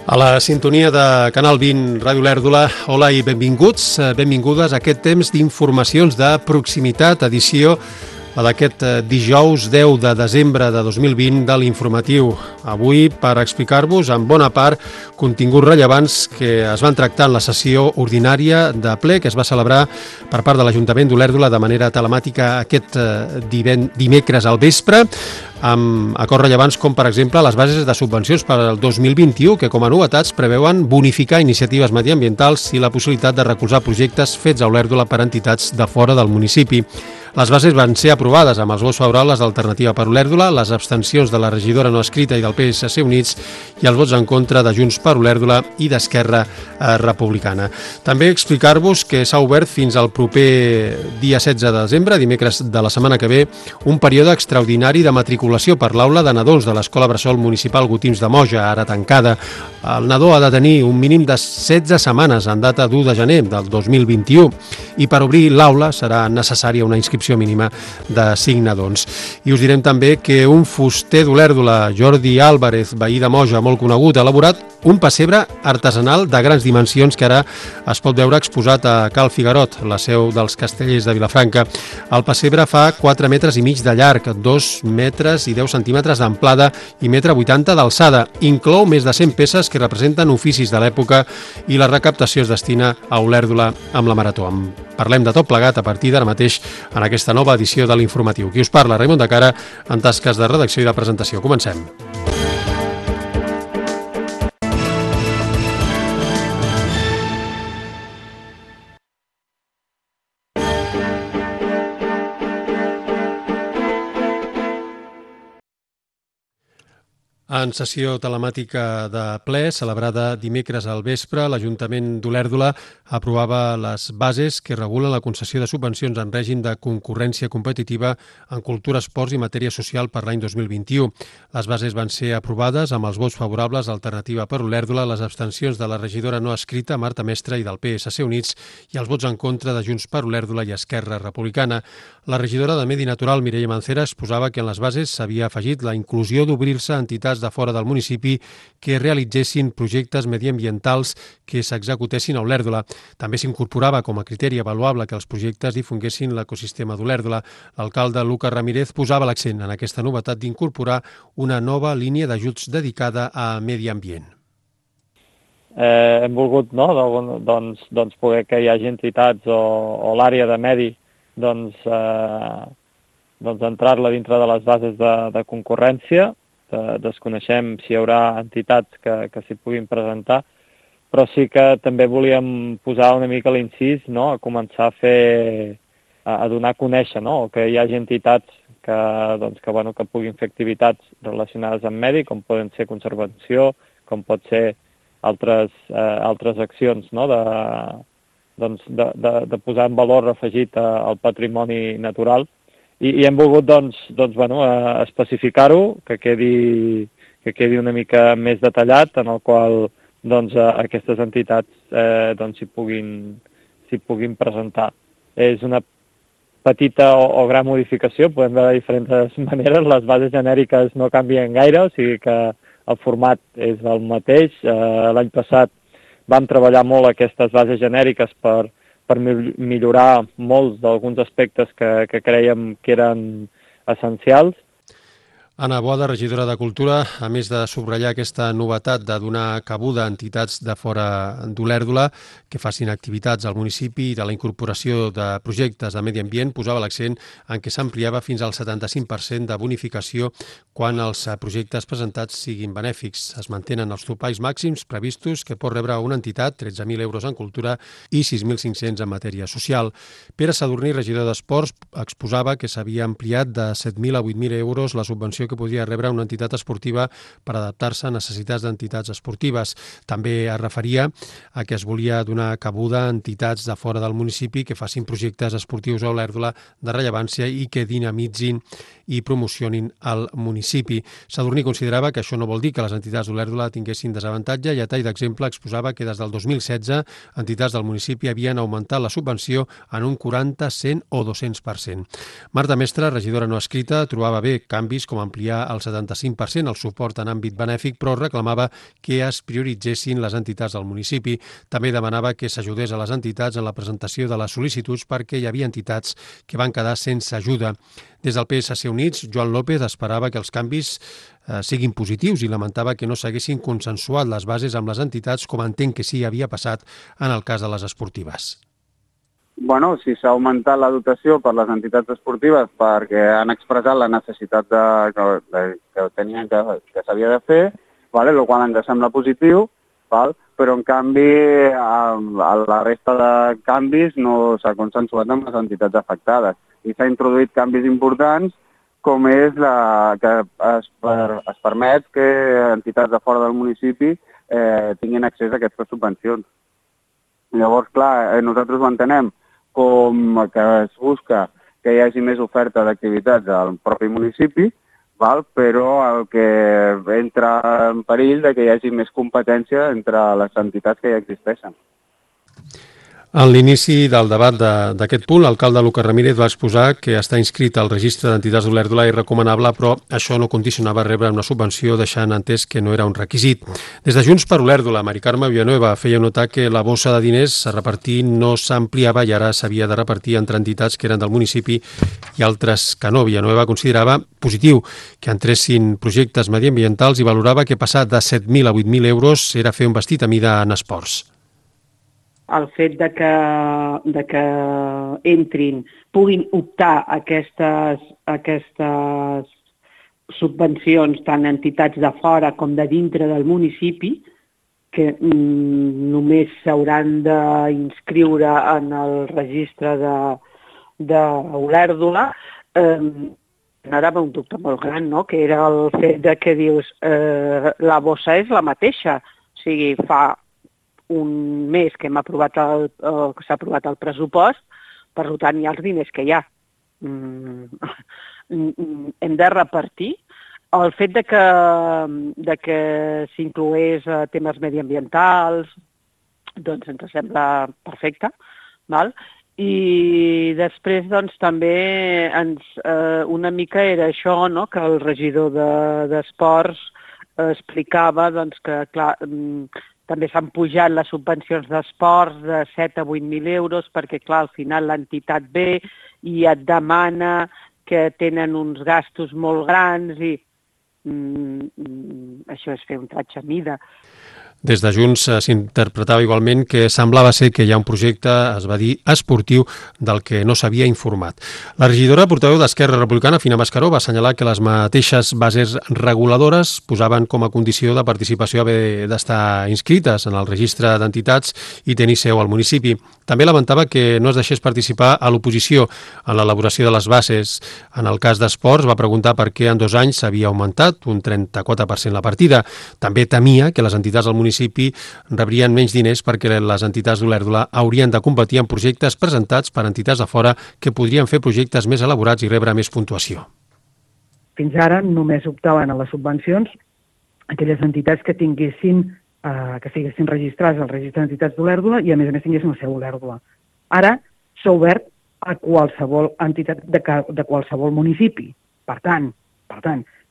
A la sintonia de Canal 20 Ràdio Olèrdola, hola i benvinguts, benvingudes a aquest temps d'informacions de proximitat, edició d'aquest dijous 10 de desembre de 2020 de l'informatiu. Avui per explicar-vos en bona part continguts rellevants que es van tractar en la sessió ordinària de ple que es va celebrar per part de l'Ajuntament d'Olèrdola de manera telemàtica aquest dimecres al vespre, amb acords rellevants com, per exemple, les bases de subvencions per al 2021, que com a novetats preveuen bonificar iniciatives mediambientals i la possibilitat de recolzar projectes fets a Olèrdola per entitats de fora del municipi. Les bases van ser aprovades amb els vots favorables d'Alternativa per Olèrdola, les abstencions de la regidora no escrita i del PSC Units i els vots en contra de Junts per Olèrdola i d'Esquerra Republicana. També explicar-vos que s'ha obert fins al proper dia 16 de desembre, dimecres de la setmana que ve, un període extraordinari de matriculació per l'aula de nadons de l'Escola Bressol Municipal Gotims de Moja, ara tancada. El nadó ha de tenir un mínim de 16 setmanes en data d'1 de gener del 2021 i per obrir l'aula serà necessària una inscripció mínima de 5 nadons. I us direm també que un fuster d'Olèrdola, Jordi Álvarez, veí de Moja, molt conegut, ha elaborat un pessebre artesanal de grans dimensions que ara es pot veure exposat a Cal Figarot, la seu dels Castellers de Vilafranca. El pessebre fa 4 metres i mig de llarg, 2 metres i 10 centímetres d'amplada i 1,80 m d'alçada. Inclou més de 100 peces que representen oficis de l'època i la recaptació es destina a Olèrdola amb la Marató. Parlem de tot plegat a partir d'ara mateix en aquesta nova edició de l'informatiu. Qui us parla, Raimon de Cara, en tasques de redacció i de presentació. Comencem. En sessió telemàtica de ple, celebrada dimecres al vespre, l'Ajuntament d'Olèrdola aprovava les bases que regulen la concessió de subvencions en règim de concurrència competitiva en cultura, esports i matèria social per l'any 2021. Les bases van ser aprovades amb els vots favorables d'Alternativa per Olèrdola, les abstencions de la regidora no escrita, Marta Mestre, i del PSC Units, i els vots en contra de Junts per Olèrdola i Esquerra Republicana. La regidora de Medi Natural, Mireia Mancera, exposava que en les bases s'havia afegit la inclusió d'obrir-se a entitats de fora del municipi que realitzessin projectes mediambientals que s'executessin a Olèrdola. També s'incorporava com a criteri avaluable que els projectes difonguessin l'ecosistema d'Olèrdola. L'alcalde Lucas Ramírez posava l'accent en aquesta novetat d'incorporar una nova línia d'ajuts dedicada a medi ambient. Hem volgut poder que hi hagi entitats o l'àrea de medi entrar-la dintre de les bases de concurrència. Desconeixem si hi haurà entitats que s'hi puguin presentar, però sí que també volíem posar una mica l'incís, a començar a donar a conèixer, que hi hagi entitats que puguin fer activitats relacionades amb medi, com poden ser conservació, com pot ser altres accions, de posar en valor afegit al patrimoni natural. I hem volgut especificar-ho, que quedi una mica més detallat, en el qual aquestes entitats s'hi puguin presentar. És una petita o gran modificació, podem veure de diferents maneres, les bases genèriques no canvien gaire, o sigui que el format és el mateix. L'any passat vam treballar molt aquestes bases genèriques per millorar molts d'alguns aspectes que crèiem que eren essencials. Anna Boada, regidora de Cultura, a més de subratllar aquesta novetat de donar cabuda a entitats de fora d'Olèrdola que facin activitats al municipi i de la incorporació de projectes de medi ambient, posava l'accent en què s'ampliava fins al 75% de bonificació quan els projectes presentats siguin benèfics. Es mantenen els topalls màxims previstos que pot rebre una entitat, 13.000 euros en cultura i 6.500 en matèria social. Pere Sadurní, regidor d'Esports, exposava que s'havia ampliat de 7.000 a 8.000 euros la subvenció que podia rebre una entitat esportiva per adaptar-se a necessitats d'entitats esportives. També es referia a que es volia donar cabuda a entitats de fora del municipi que facin projectes esportius a Olèrdola de rellevància i que dinamitzin i promocionin el municipi. Sadurní considerava que això no vol dir que les entitats d'Olèrdola tinguessin desavantatge i a tall d'exemple exposava que des del 2016 entitats del municipi havien augmentat la subvenció en un 40, 100 o 200%. Marta Mestre, regidora no escrita, trobava bé canvis com ampliar al 75% el suport en àmbit benèfic, però reclamava que es prioritzessin les entitats del municipi. També demanava que s'ajudés a les entitats en la presentació de les sol·licituds perquè hi havia entitats que van quedar sense ajuda. Des del PSC Units, Joan López esperava que els canvis siguin positius i lamentava que no s'haguessin consensuat les bases amb les entitats, com entenc que sí havia passat en el cas de les esportives. Bueno, si s'ha augmentat la dotació per les entitats esportives perquè han expressat la necessitat que tenien que s'havia de fer, el qual ens sembla positiu, però en canvi a la resta de canvis no s'ha consensuat amb les entitats afectades i s'ha introduït canvis importants com és que es permet que entitats de fora del municipi tinguin accés a aquestes subvencions. Llavors, clar, nosaltres ho entenem com que es busca que hi hagi més oferta d'activitats al propi municipi, però el que entra en perill de que hi hagi més competència entre les entitats que ja existeixen. En l'inici del debat d'aquest punt, l'alcalde Lucas Ramírez va exposar que està inscrit al registre d'entitats d'Olèrdola i recomanable, però això no condicionava rebre una subvenció, deixant entès que no era un requisit. Des de Junts per Olèrdola, Mari Carme Villanueva feia notar que la bossa de diners a repartir no s'ampliava i ara s'havia de repartir entre entitats que eren del municipi i altres que no. Villanueva considerava positiu que entressin projectes mediambientals i valorava que passar de 7.000 a 8.000 euros era fer un vestit a mida en esports. El fet de que entrin, puguin optar a aquestes subvencions tant entitats de fora com de dintre del municipi, que només s'hauran d'inscriure en el registre d'Olèrdola, generava un dubte molt gran, no? Que era el fet de que dius la bossa és la mateixa, o sigui, fa un mes que s'ha aprovat el pressupost, per tant hi ha els diners que hi ha. Hem de repartir. El fet de que s'inclogués temes mediambientals, doncs ens sembla perfecte, val? I després doncs, també una mica era això, no? Que el regidor d'Esports explicava doncs, que clar, també s'han pujat les subvencions d'esports de 7 a 8.000 euros perquè, clar, al final l'entitat ve i et demana que tenen uns gastos molt grans i això és fer un tratge a mida. Des de Junts s'interpretava igualment que semblava ser que hi ha un projecte, es va dir, esportiu del que no s'havia informat. La regidora portaveu d'Esquerra Republicana, Fina Mascaró, va assenyalar que les mateixes bases reguladores posaven com a condició de participació haver d'estar inscrites en el registre d'entitats i tenir seu al municipi. També lamentava que no es deixés participar a l'oposició en l'elaboració de les bases. En el cas d'esports va preguntar per què en 2 anys s'havia augmentat un 34% la partida. També temia que les entitats del municipi rebrien menys diners perquè les entitats d'Olèrdola haurien de competir en projectes presentats per entitats de fora que podrien fer projectes més elaborats i rebre més puntuació. Fins ara només optaven a les subvencions aquelles entitats que tinguessin que estiguessin registrades al registre d'entitats d'Olèrdola i a més tinguessin la seu a Olèrdola. Ara s'ha obert a qualsevol entitat de qualsevol municipi. Per tant,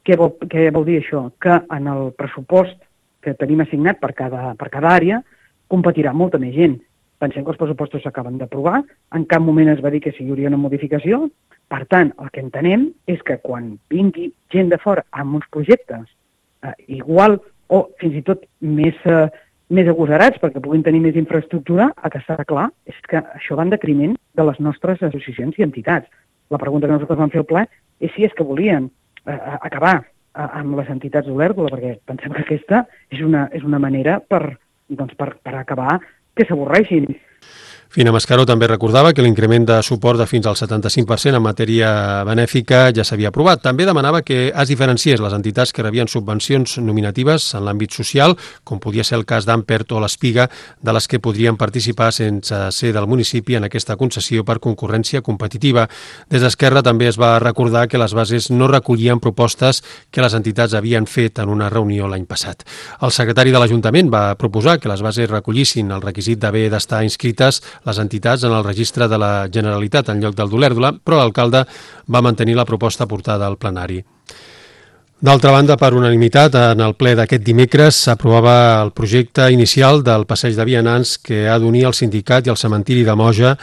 què vol dir això? Que en el pressupost que tenim assignat per cada àrea competirà molta més gent. Pensem que els pressupostos s'acaben d'aprovar, en cap moment es va dir que hi hauria una modificació. Per tant, el que entenem és que quan vingui gent de fora amb uns projectes igual o fins i tot més agosarats perquè puguin tenir més infraestructura, el que està clar és que això va en detriment de les nostres associacions i entitats. La pregunta que nosaltres vam fer al ple és si és que volien acabar amb les entitats d'Olèrdola, perquè pensem que aquesta és una manera per acabar que s'avorreixin. Fina Mascaró també recordava que l'increment de suport de fins al 75% en matèria benèfica ja s'havia aprovat. També demanava que es diferenciés les entitats que rebien subvencions nominatives en l'àmbit social, com podia ser el cas d'Ampert o l'Espiga, de les que podrien participar sense ser del municipi en aquesta concessió per concurrència competitiva. Des d'Esquerra també es va recordar que les bases no recollien propostes que les entitats havien fet en una reunió l'any passat. El secretari de l'Ajuntament va proposar que les bases recollissin el requisit d'haver d'estar inscrites les entitats en el registre de la Generalitat en lloc del d'Olèrdola, però l'alcalde va mantenir la proposta portada al plenari. D'altra banda, per unanimitat, en el ple d'aquest dimecres s'aprovava el projecte inicial del passeig de vianants que ha d'unir el sindicat i el cementiri de Moja,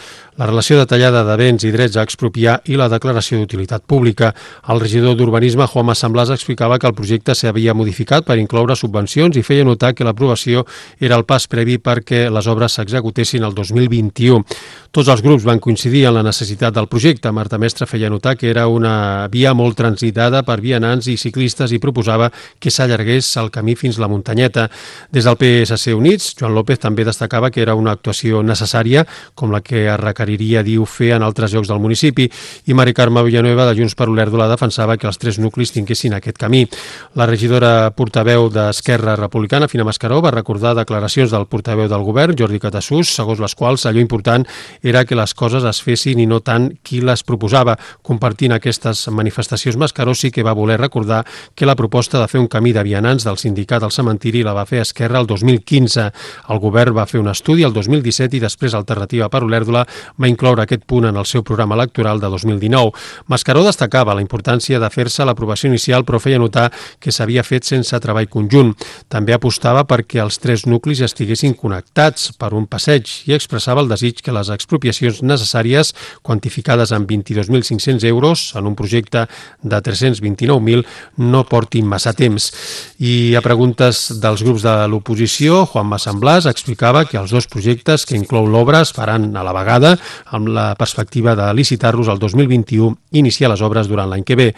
la relació detallada de béns i drets a expropiar i la declaració d'utilitat pública. El regidor d'Urbanisme, Juanma Samblàs, explicava que el projecte s'havia modificat per incloure subvencions i feia notar que l'aprovació era el pas previ perquè les obres s'executessin el 2021. Tots els grups van coincidir en la necessitat del projecte. Marta Mestre feia notar que era una via molt transitada per vianants i ciclistes i proposava que s'allargués el camí fins la muntanyeta. Des del PSC Units, Joan López també destacava que era una actuació necessària, com la que es requeriria, diu, fer en altres llocs del municipi, i Mari Carme Villanueva de Junts per Olèrdola defensava que els 3 nuclis tinguessin aquest camí. La regidora portaveu d'Esquerra Republicana, Fina Mascaró, va recordar declaracions del portaveu del govern, Jordi Catassús, segons les quals allò important era que les coses es fessin i no tant qui les proposava. Compartint aquestes manifestacions, Mascaró sí que va voler recordar que la proposta de fer un camí de vianants del sindicat al cementiri la va fer Esquerra el 2015. El govern va fer un estudi el 2017 i després Alternativa per Olèrdola va incloure aquest punt en el seu programa electoral de 2019. Mascaró destacava la importància de fer-se l'aprovació inicial, però feia notar que s'havia fet sense treball conjunt. També apostava perquè els 3 nuclis estiguessin connectats per un passeig i expressava el desig que les expropiacions necessàries, quantificades en 22.500 euros en un projecte de 329.000, no portin massa temps. I a preguntes dels grups de l'oposició, Juanma Samblàs explicava que els 2 projectes que inclou l'obra es faran a la vegada, amb la perspectiva de licitar-los el 2021 i iniciar les obres durant l'any que ve.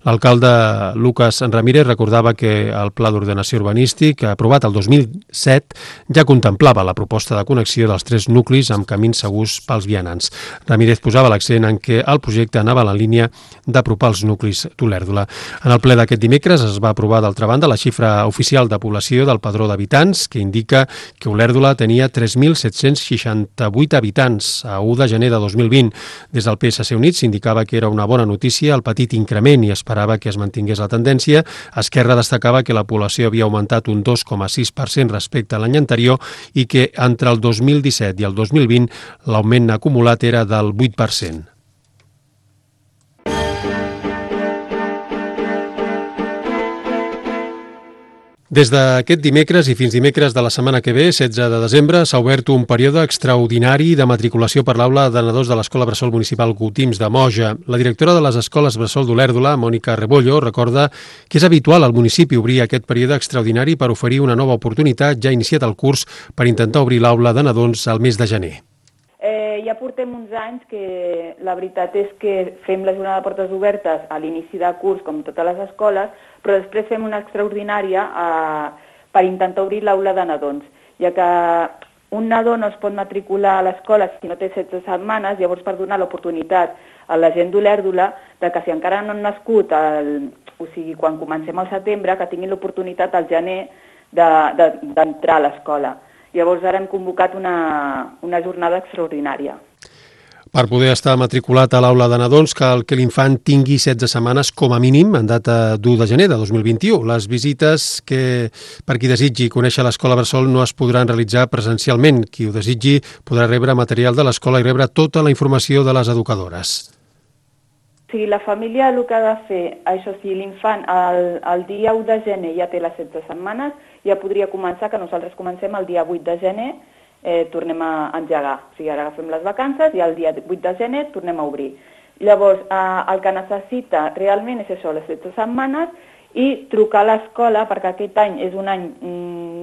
L'alcalde Lucas Ramírez recordava que el Pla d'Ordenació Urbanístic, aprovat el 2007, ja contemplava la proposta de connexió dels 3 nuclis amb camins segurs pels vianants. Ramírez posava l'accent en què el projecte anava a la línia d'apropar els nuclis d'Olèrdola. En el ple d'aquest dimecres es va aprovar, d'altra banda, la xifra oficial de població del Padró d'Habitants, que indica que Olèrdola tenia 3.768 habitants a 1 de gener de 2020. Des del PSC Units s'indicava que era una bona notícia el petit increment i esperava que es mantingués la tendència. Esquerra destacava que la població havia augmentat un 2,6% respecte a l'any anterior i que entre el 2017 i el 2020 l'augment acumulat era del 8%. Des d'aquest dimecres i fins dimecres de la setmana que ve, 16 de desembre, s'ha obert un període extraordinari de matriculació per l'aula de nadons de l'Escola Bressol Municipal Cutims de Moja. La directora de les Escoles Bressol d'Olèrdola, Mònica Rebollo, recorda que és habitual al municipi obrir aquest període extraordinari per oferir una nova oportunitat, ja iniciat el curs, per intentar obrir l'aula de nadons al mes de gener. Ja portem uns anys que la veritat és que fem la jornada de portes obertes a l'inici de curs, com totes les escoles, però després fem una extraordinària per intentar obrir l'aula de nadons, ja que un nadó no es pot matricular a l'escola si no té 16 setmanes, llavors per donar l'oportunitat a la gent d'Olèrdola de que si encara no han nascut, o sigui, quan comencem al setembre, que tinguin l'oportunitat al gener d'entrar a l'escola. Llavors ara hem convocat una jornada extraordinària. Per poder estar matriculat a l'aula de nadons cal que l'infant tingui 16 setmanes com a mínim en data d'1 de gener de 2021. Les visites que per qui desitgi conèixer l'Escola Bressol no es podran realitzar presencialment. Qui ho desitgi podrà rebre material de l'escola i rebre tota la informació de les educadores. Sí, la família el que ha de fer, això sí, l'infant el dia 1 de gener ja té les 16 setmanes, ja podria començar, que nosaltres comencem el dia 8 de gener, tornem a engegar. O sigui, ara agafem les vacances i el dia 8 de gener tornem a obrir. Llavors, el que necessita realment és això, les 16 setmanes, i trucar a l'escola, perquè aquest any és un any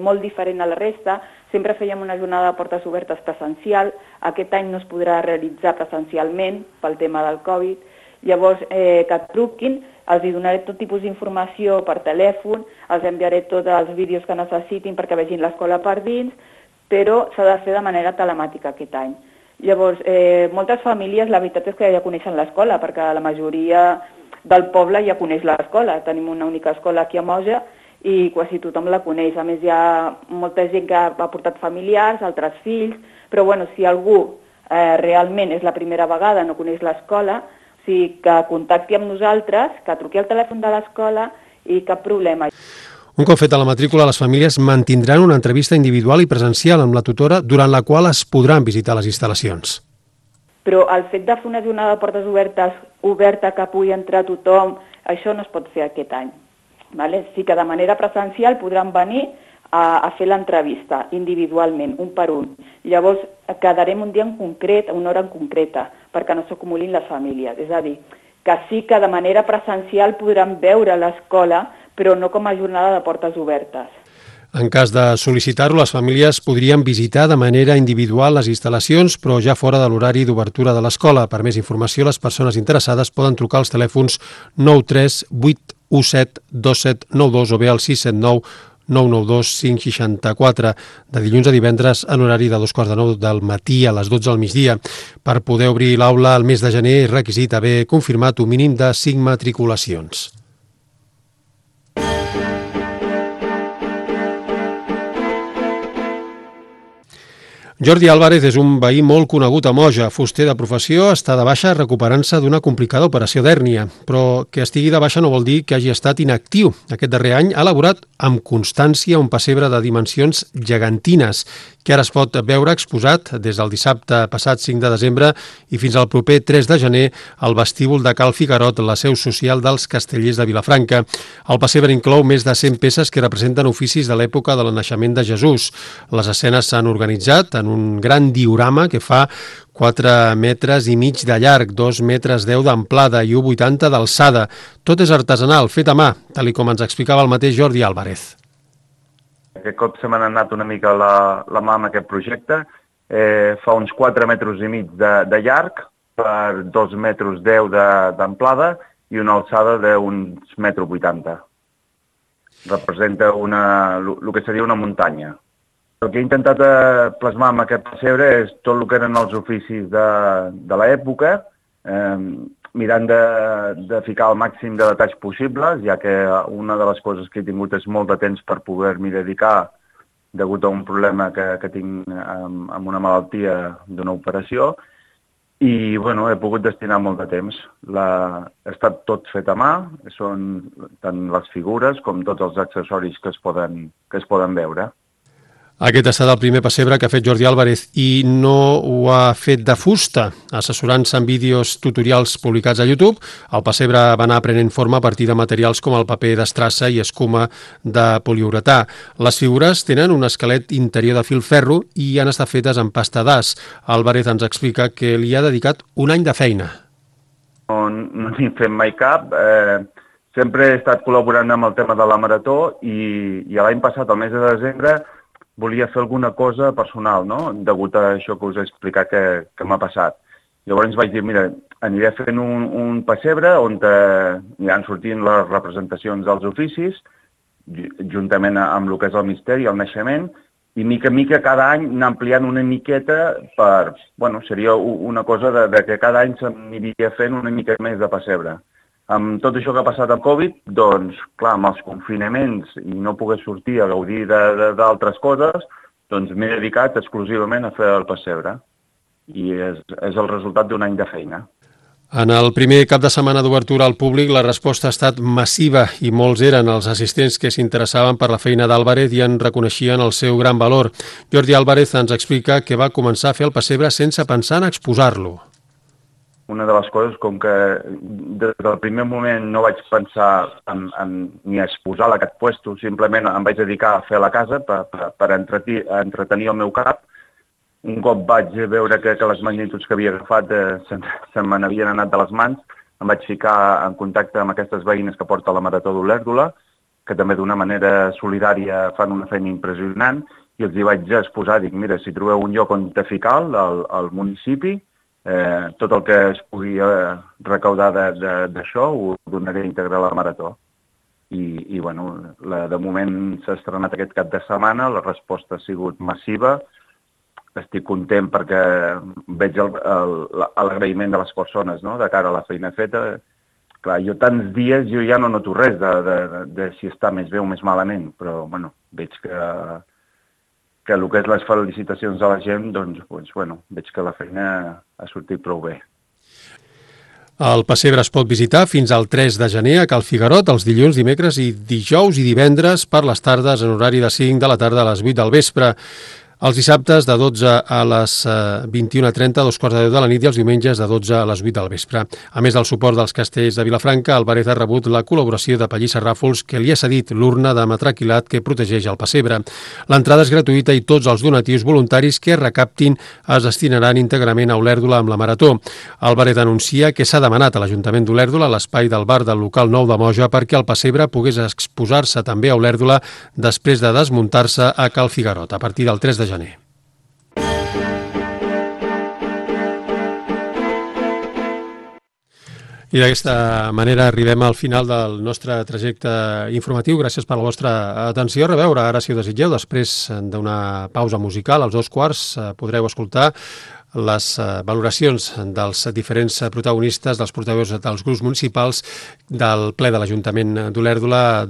molt diferent a la resta. Sempre fèiem una jornada de portes obertes presencial, aquest any no es podrà realitzar presencialment pel tema del Covid. Llavors, que truquin, els donaré tot tipus d'informació per telèfon, els enviaré tots els vídeos que necessitin perquè vegin l'escola per dins, però s'ha de fer de manera telemàtica aquest any. Llavors, moltes famílies, la veritat és que ja coneixen l'escola, perquè la majoria del poble ja coneix l'escola. Tenim una única escola aquí a Moja i quasi tothom la coneix. A més, hi ha molta gent que ha portat familiars, altres fills, però bueno, si algú realment és la primera vegada, no coneix l'escola, sí, que contacti amb nosaltres, que truqui al telèfon de l'escola i cap problema. Un cop feta la matrícula, les famílies mantindran una entrevista individual i presencial amb la tutora, durant la qual es podran visitar les instal·lacions. Però el fet de fer una jornada de portes oberta que pugui entrar tothom, això no es pot fer aquest any. Vale? Sí que de manera presencial podran venir a fer l'entrevista individualment, un per un. Llavors quedarem un dia en concret, una hora en concreta, perquè no s'acumulin les famílies. És a dir, que sí que de manera presencial podran veure l'escola, però no com a jornada de portes obertes. En cas de sol·licitar-ho, les famílies podrien visitar de manera individual les instal·lacions, però ja fora de l'horari d'obertura de l'escola. Per més informació, les persones interessades poden trucar als telèfons 93 817 2792 o bé al 679 992 564 de dilluns a divendres en horari de 2:45 del matí a les 12 del migdia. Per poder obrir l'aula el mes de gener és requisit haver confirmat un mínim de 5 matriculacions. Jordi Álvarez és un veí molt conegut a Moja. Fuster de professió, està de baixa recuperant-se d'una complicada operació d'hèrnia, però que estigui de baixa no vol dir que hagi estat inactiu. Aquest darrer any ha elaborat amb constància un pessebre de dimensions gegantines, que ara es pot veure exposat des del dissabte passat 5 de desembre i fins al proper 3 de gener al vestíbul de Cal Figarot, la seu social dels Castellers de Vilafranca. El pessebre inclou més de 100 peces que representen oficis de l'època del naixement de Jesús. Les escenes s'han organitzat en un gran diorama que fa 4 metres i mig de llarg, 2 metres 10 d'amplada i 1,80 d'alçada. Tot és artesanal, fet a mà, tal com ens explicava el mateix Jordi Álvarez. Aquest cop se m'ha anat una mica la mà amb aquest projecte. Fa uns 4 metres i mig de llarg per 2 metres 10 d'amplada i una alçada d'uns 1,80 metres. Representa el que seria una muntanya. El que he intentat plasmar amb aquest pessebre és tot el que eren els oficis de l'època, mirant de ficar el màxim de detalls possibles, ja que una de les coses que he tingut és molt de temps per poder-m'hi dedicar degut a un problema que tinc amb una malaltia d'una operació, i bueno, he pogut destinar molt de temps. Ha estat tot fet a mà, són tant les figures com tots els accessoris que es poden veure. Aquest ha estat el primer pessebre que ha fet Jordi Álvarez i no ho ha fet de fusta. Assessorant-se en vídeos tutorials publicats a YouTube, el pessebre va anar prenent forma a partir de materials com el paper d'estrassa i escuma de poliuretà. Les figures tenen un esquelet interior de filferro i han estat fetes en pasta d'as. Álvarez ens explica que li ha dedicat un any de feina. No n'he fet mai cap. Sempre he estat col·laborant amb el tema de la marató i l'any passat, al mes de desembre, volia fer alguna cosa personal, no?, degut a això que us he explicat que m'ha passat. Llavors vaig dir, mira, aniré fent un pessebre on aniran sortint les representacions dels oficis, juntament amb el que és el misteri, el naixement, i mica en mica cada any anar ampliant una miqueta per, bueno, seria una cosa que cada any s'aniria fent una mica més de pessebre. Amb tot això que ha passat amb Covid, doncs, clar, amb els confinaments i no poder sortir a gaudir d'altres coses, doncs m'he dedicat exclusivament a fer el pessebre. I és el resultat d'un any de feina. En el primer cap de setmana d'obertura al públic, la resposta ha estat massiva i molts eren els assistents que s'interessaven per la feina d'Álvarez i en reconeixien el seu gran valor. Jordi Álvarez ens explica que va començar a fer el pessebre sense pensar en exposar-lo. Una de les coses, com que des del primer moment no vaig pensar ni a exposar aquest puesto, simplement em vaig dedicar a fer la casa per entretenir el meu cap. Un cop vaig veure que les magnituds que havia agafat se me n'havien anat de les mans, em vaig ficar en contacte amb aquestes veïnes que porta la Marató d'Olèrdola, que també d'una manera solidària fan una feina impressionant, i els hi vaig exposar, dic, mira, si trobeu un lloc on ficar al municipi, tot el que es pugui recaudar d'això ho donaré íntegre a la Marató. I bueno, de moment s'ha estrenat aquest cap de setmana, la resposta ha sigut massiva, estic content perquè veig l'agraïment de les persones, no?, de cara a la feina feta. Clar, jo tants dies ja no noto res de si està més bé o més malament, però bueno, veig que el que és les felicitacions de la gent, doncs, bueno, veig que la feina ha sortit prou bé. El pessebre es pot visitar fins al 3 de gener a Cal Figarot, els dilluns, dimecres i dijous i divendres per les tardes en horari de 5 de la tarda a les 8 del vespre. Els dissabtes de 12 a les 21:30, a 2:15 de la nit, i els diumenges de 12 a les 8 del vespre. A més del suport dels castells de Vilafranca, el Baret ha rebut la col·laboració de Pallissa Ràfols, que li ha cedit l'urna de metraquilat que protegeix el pessebre. L'entrada és gratuïta i tots els donatius voluntaris que es recaptin es destinaran íntegrament a Olèrdola amb la Marató. El Baret anuncia que s'ha demanat a l'Ajuntament d'Olèrdola l'espai del bar del local nou de Moja perquè el pessebre pogués exposar-se també a Olèrdola després de desmuntar-se a Cal Figarot a partir del 3 de gener. I d'aquesta manera arribem al final del nostre trajecte informatiu. Gràcies per la vostra atenció. A reveure, ara si ho desitgeu, després d'una pausa musical, als 2:15 podreu escoltar les valoracions dels diferents protagonistes, dels portaveus dels grups municipals del ple de l'Ajuntament d'Olèrdola,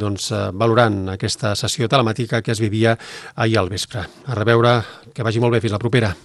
valorant aquesta sessió telemàtica que es vivia ahir al vespre. A reveure, que vagi molt bé, fins la propera.